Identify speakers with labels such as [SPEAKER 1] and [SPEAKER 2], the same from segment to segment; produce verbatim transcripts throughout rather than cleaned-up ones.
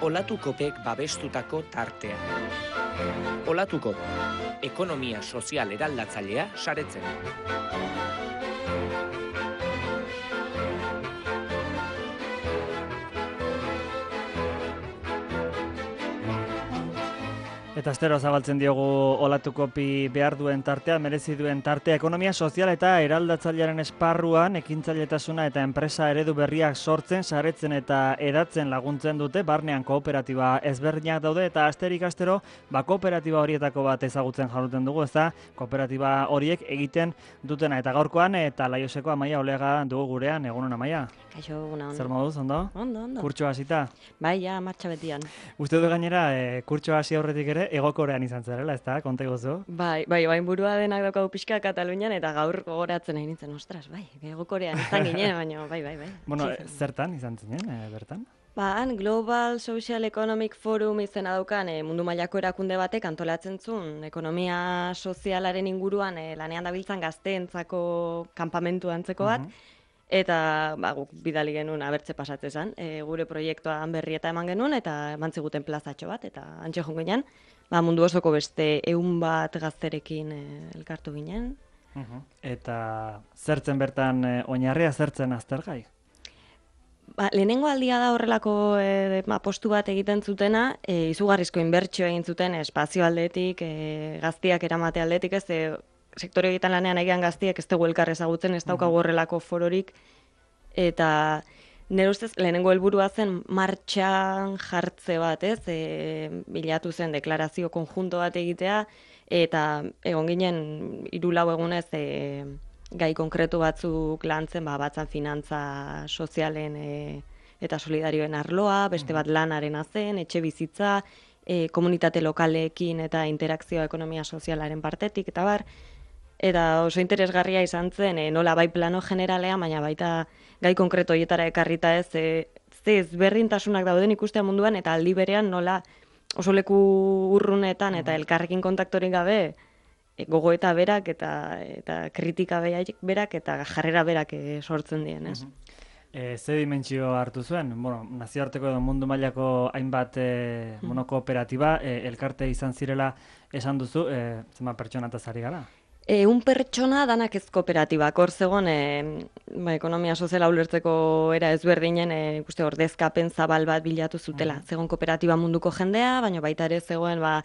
[SPEAKER 1] Olatukopek babestutako tartea. Olatukop, ekonomia sozial eraldatzailea saretzen.
[SPEAKER 2] Eta astero zabaltzen diogu Olatukopi behar duen tartea, merezi duen tartea, ekonomia sozial eta eraldatzailearen esparruan ekintzailetasuna eta enpresa eredu berriak sortzen, saretzen eta edatzen laguntzen dute, barnean kooperatiba ezberdinak daude eta asterik astero ba kooperatiba horietako bat ezagutzen jarruten dugu, ezta kooperatiba horiek egiten dutena eta gaurkoan eta Laioseko Amaia Oleaga dugu gurean, egunon Amaia.
[SPEAKER 3] Kaixo, eguna, ondo.
[SPEAKER 2] Zer moduz, ondo?
[SPEAKER 3] Ondo, ondo.
[SPEAKER 2] Kurtso hasita?
[SPEAKER 3] Bai, ja, martxa betian.
[SPEAKER 2] Uste du gainera, e, kurtso hasi aurretik ere, Egokorean izan zarela, ez da, konta iguzu?
[SPEAKER 3] Bai, bai, bain burua denak daukagu pixka Katalunian eta gaur gogoratzen nahi nintzen, ostras, bai, Egokorean izan ginen, baina bai, bai, bai.
[SPEAKER 2] Bueno, zertan izan zinen, e, bertan?
[SPEAKER 3] Ba, han Global Social Economic Forum izena daukan e, mundu mailako erakunde batek antolatzen zuen ekonomia sozialaren inguruan e, lanean dabiltzan gazteentzako kanpamentu antzeko bat, uh-huh. Eta ba, guk bidali genuen abertze pasatze zen, e, gure proiektuan berrieta eman genuen eta eman ziguten plazatxo bat, eta antxe joan ginen, ba, mundu osoko beste ehun bat gazterekin e, elkartu ginen.
[SPEAKER 2] Uh-huh. Eta zertzen bertan e, oinarria zertzen aztergai?
[SPEAKER 3] Ba, lehenengo aldia da horrelako e, apostu bat egiten zutena, e, izugarrizko inbertsio egin zuten espazio aldetik, e, gaztiak eramate aldetik, ez e, sektore egiten lanean egian gaztiek ez dugu elkar ezagutzen, ez daukagu horrelako fororik, eta nire ustez lehenengo helburua zen martxan jartze bat, ez, e, bilatu zen deklarazio konjunto bat egitea, eta egon ginen hiru lau egunez e, gai konkretu batzuk lantzen, ba, batzan finantza sozialen e, eta solidarioen arloa, beste bat lanaren zen, etxe bizitza, e, komunitate lokaleekin eta interakzioa ekonomia sozialaren partetik, eta bar, eta oso interesgarria izan zen, e, nola bai plano generalean, baina baita gai konkreto horietara ekarrita ez, e, ze ezberdintasunak dauden ikustea munduan, eta aldi berean nola oso leku urrunetan eta elkarrekin kontaktorik gabe, e, gogoeta berak eta, eta kritika berak eta jarrera berak e, sortzen dien, ez?
[SPEAKER 2] E, ze dimentsio hartu zuen? Bueno, nazioarteko edo mundu mailako hainbat e, bueno, kooperatiba, e, elkarte izan zirela esan duzu, e, zenbat pertsona eta zari gara?
[SPEAKER 3] E, un pertsona danak ez kooperatibak, hor zegoen e, ba, ekonomia soziala ulertzeko era ezberdinen e, ikuste ordezkapen zabal bat bilatu zutela. Mm. Zegoen kooperatiba munduko jendea, baina baita ere zegoen ba,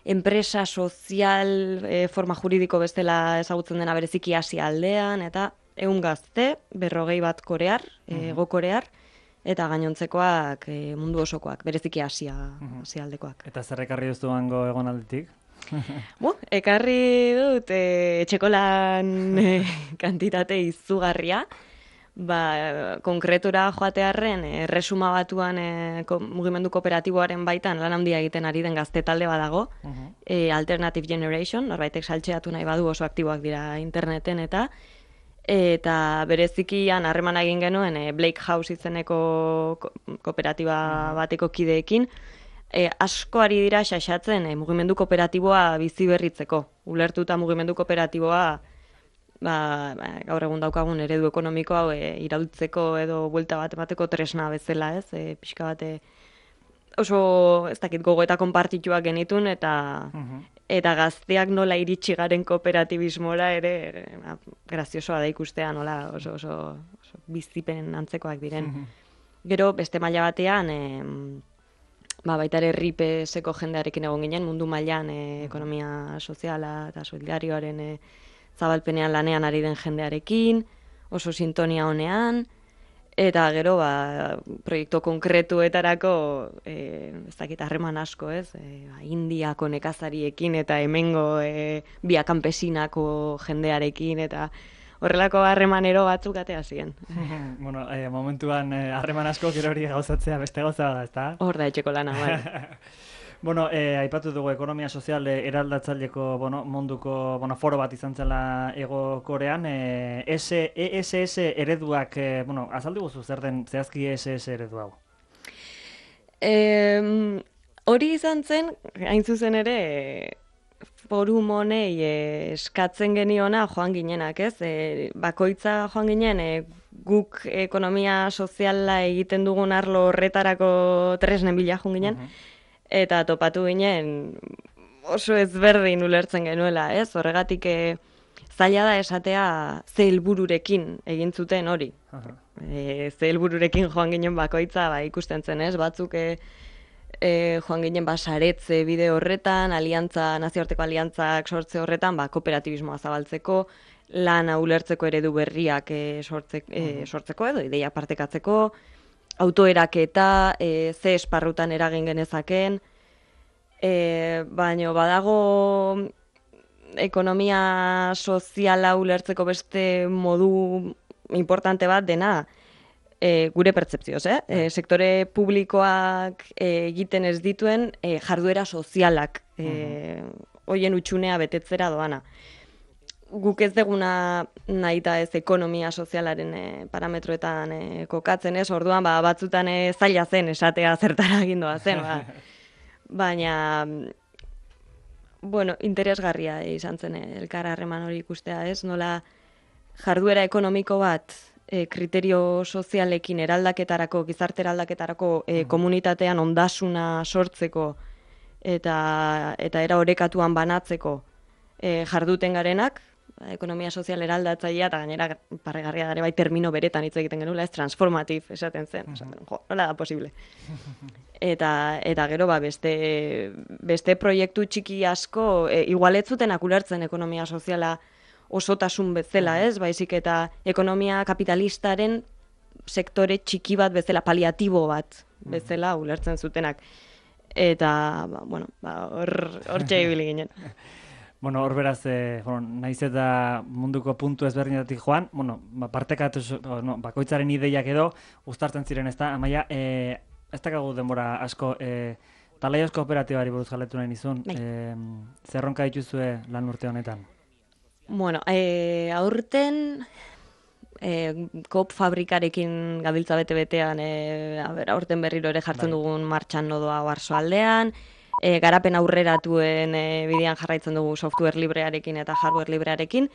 [SPEAKER 3] enpresa sozial e, forma juridiko bestela ezagutzen dena bereziki Asia aldean, eta ehun gazte, berrogei bat korear, mm-hmm. ego korear, eta gainontzekoak e, mundu osokoak, bereziki Asia, mm-hmm. Asia aldekoak.
[SPEAKER 2] Eta zer ekarri duzu hango egonalditik?
[SPEAKER 3] Bu, ekarri dut e, etxekolan e, kantitate izugarria, ba, konkretura joatearren e, resuma batuan e, ko, mugimendu kooperatiboaren baitan lan handia egiten ari den gazte talde badago, uh-huh. e, Alternative Generation, norbaitek saltxeatu nahi badu oso aktiboak dira interneten eta eta berezikian harreman egin genuen e, Blake House izeneko ko, kooperatiba uh-huh. bateko kideekin, E, asko ari dira xaxatzen e, mugimendu kooperatiboa bizi berritzeko. Ulertuta mugimendu kooperatiboa ba, ba, gaur egun daukagun eredu ekonomiko hau e, iraultzeko edo buelta bat emateko tresna bezala, ez? E, pixka bat e, oso ez dakit gogoeta konpartituak genitun eta uh-huh. eta gazteak nola iritsi garen kooperatibismora ere e, ba, graziosoa da ikustea nola oso, oso, oso bizipen antzekoak diren. Uh-huh. Gero beste maila batean e, Ba, baita ere ripeseko jendearekin egon ginen, mundu mailan e, ekonomia soziala eta solidarioaren e, zabalpenean lanean ari den jendearekin, oso sintonia honean, eta gero ba, proiektu konkretuetarako e, ez dakit harreman asko, ez? E, ba, Indiako nekazariekin eta hemengo e, Bia Kanpesinako jendearekin eta horrelako harremanero batzuk atea ziren.
[SPEAKER 2] Bueno, eh, momentuan harreman eh, asko gero hori gauzatzea beste gauza da, ezta?
[SPEAKER 3] Hor da etxeko lana, bai.
[SPEAKER 2] Bueno, eh, aipatu dugu ekonomia sozial eraldatzaileko bueno, munduko bueno, foro bat izan zela Ego Korean. Eh, E S S ereduak, eh, bueno, azaldu guzu zer den zehazki E S S eredu hau?
[SPEAKER 3] Eh, hori izan zen, hain zuzen ere, forum honei e, eskatzen geniona joan ginenak, ez? E, bakoitza joan ginen e, guk ekonomia soziala egiten dugun arlo horretarako tresnen bila joan ginen, eta topatu ginen oso ezberdin ulertzen genuela, ez? Horregatik e, zaila da esatea ze helbururekin egin zuten hori. E, ze helbururekin joan ginen bakoitza, ba, ikusten zen, ez? Batzuk e, e, joan ginen ba, saretze bide horretan, aliantza, nazioarteko aliantzak sortze horretan, ba, kooperatibismoa zabaltzeko, lana ulertzeko eredu berriak e, sortze, e, sortzeko edo, ideia partekatzeko, autoeraketa, e, ze esparrutan eragin genezaken, e, baino badago ekonomia soziala ulertzeko beste modu importante bat dena, e, gure pertzepzioz, eh? E, sektore publikoak e, egiten ez dituen e, jarduera sozialak e, hoien utxunea betetzera doana. Guk ez deguna nahi da ez ekonomia sozialaren e, parametroetan e, kokatzen ez, orduan ba, batzutan e, zaila zen esatea zertara egindoa zen, ba. Baina, bueno, interesgarria izan zen elkar harreman hori ikustea ez, nola jarduera ekonomiko bat e, kriterio sozialekin eraldaketarako, gizarte eraldaketarako e, komunitatean ondasuna sortzeko eta, eta era orekatuan banatzeko e, jarduten garenak, ekonomia sozial eraldatzailea, eta gainera parregarria dare bai termino beretan hitz egiten genula, ez transformativ esaten zen, esaten, jo, nola da posible. Eta, eta gero ba, beste, beste proiektu txiki asko, e, igual ez zutenak ulertzen ekonomia soziala osotasun bezala, ez? Baizik eta ekonomia kapitalistaren sektore txiki bat bezala, paliatibo bat bezala ulertzen zutenak. Eta, ba, bueno, ba, hor, hor txegibili ginen.
[SPEAKER 2] Bueno, hor beraz, eh, bueno, naiz eta munduko puntu ezberdinetatik joan, bueno, ba, partekatu, no, bakoitzaren ideiak edo, uztartzen ziren, ez da, Amaia, eh, ez dakagu denbora asko, eh, Talaios kooperatibari buruz galetu nahi nizun, eh, zerronka dituzue lan urte honetan?
[SPEAKER 3] Bueno, eh, aurten eh, koop fabrikarekin gabiltza bete-betean, eh, a ber, aurten berriro ere jartzen bai. Dugun martxan nodoa Oarsoaldean, E, garapen aurreratuen e, bidean jarraitzen dugu software librearekin eta hardware librearekin,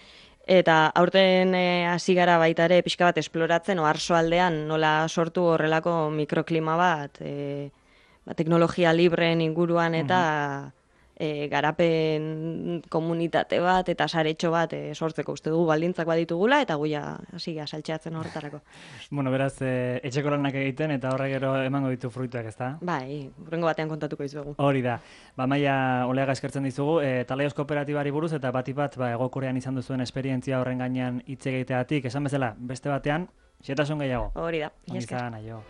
[SPEAKER 3] eta aurten hasi e, gara baita ere pixka bat esploratzen Oarsoaldean nola sortu horrelako mikroklima bat, e, ba, teknologia libreen inguruan eta e, garapen komunitate bat eta saretxo bat e, sortzeko uste dugu baldintzak baditugula eta guia hasi gara saltxeatzen horretarako.
[SPEAKER 2] Bueno, beraz, e, etxeko lanak egiten eta horrek gero emango ditu fruituak, ezta?
[SPEAKER 3] Bai, hurrengo batean kontatuko dizuegu.
[SPEAKER 2] Hori da. Ba, Amaia Oleaga eskertzen dizugu, e, Talaios kooperatibari buruz eta batipat bat ba, Hegokorean izan duzuen esperientzia horren gainean hitz egiteagatik, esan bezala, beste batean, xetasun gehiago.
[SPEAKER 3] Hori da.
[SPEAKER 2] Izan, aio.